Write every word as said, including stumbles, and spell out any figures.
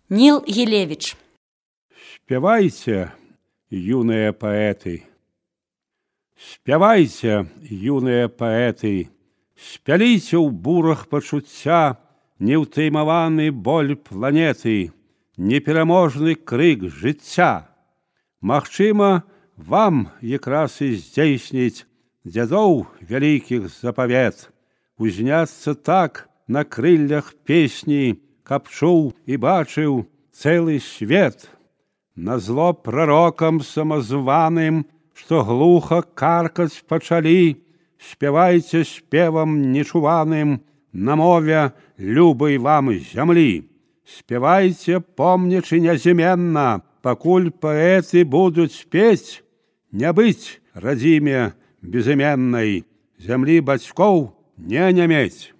Нил Елевич. Спявайце, юныя паэты, спявайце, юныя паэты, спяліце ў бурах пачуцця неўтаймаваны боль планеты, непераможны крык жыцця. Магчыма, вам якраз і здзейсніць дзядоў вялікіх запавет, узняцца так на крыллях песні, каб чуў і бачыў цэлы свет. Назло прарокам самазваным, што глуха каркаць пачалі, спявайце спевам нечуваным на мове любай вам зямлі. Спявайце, помнячы нязменна, пакуль паэты будуць пець, не быць радзіме безыменнай, зямлі бацькоў не нямець.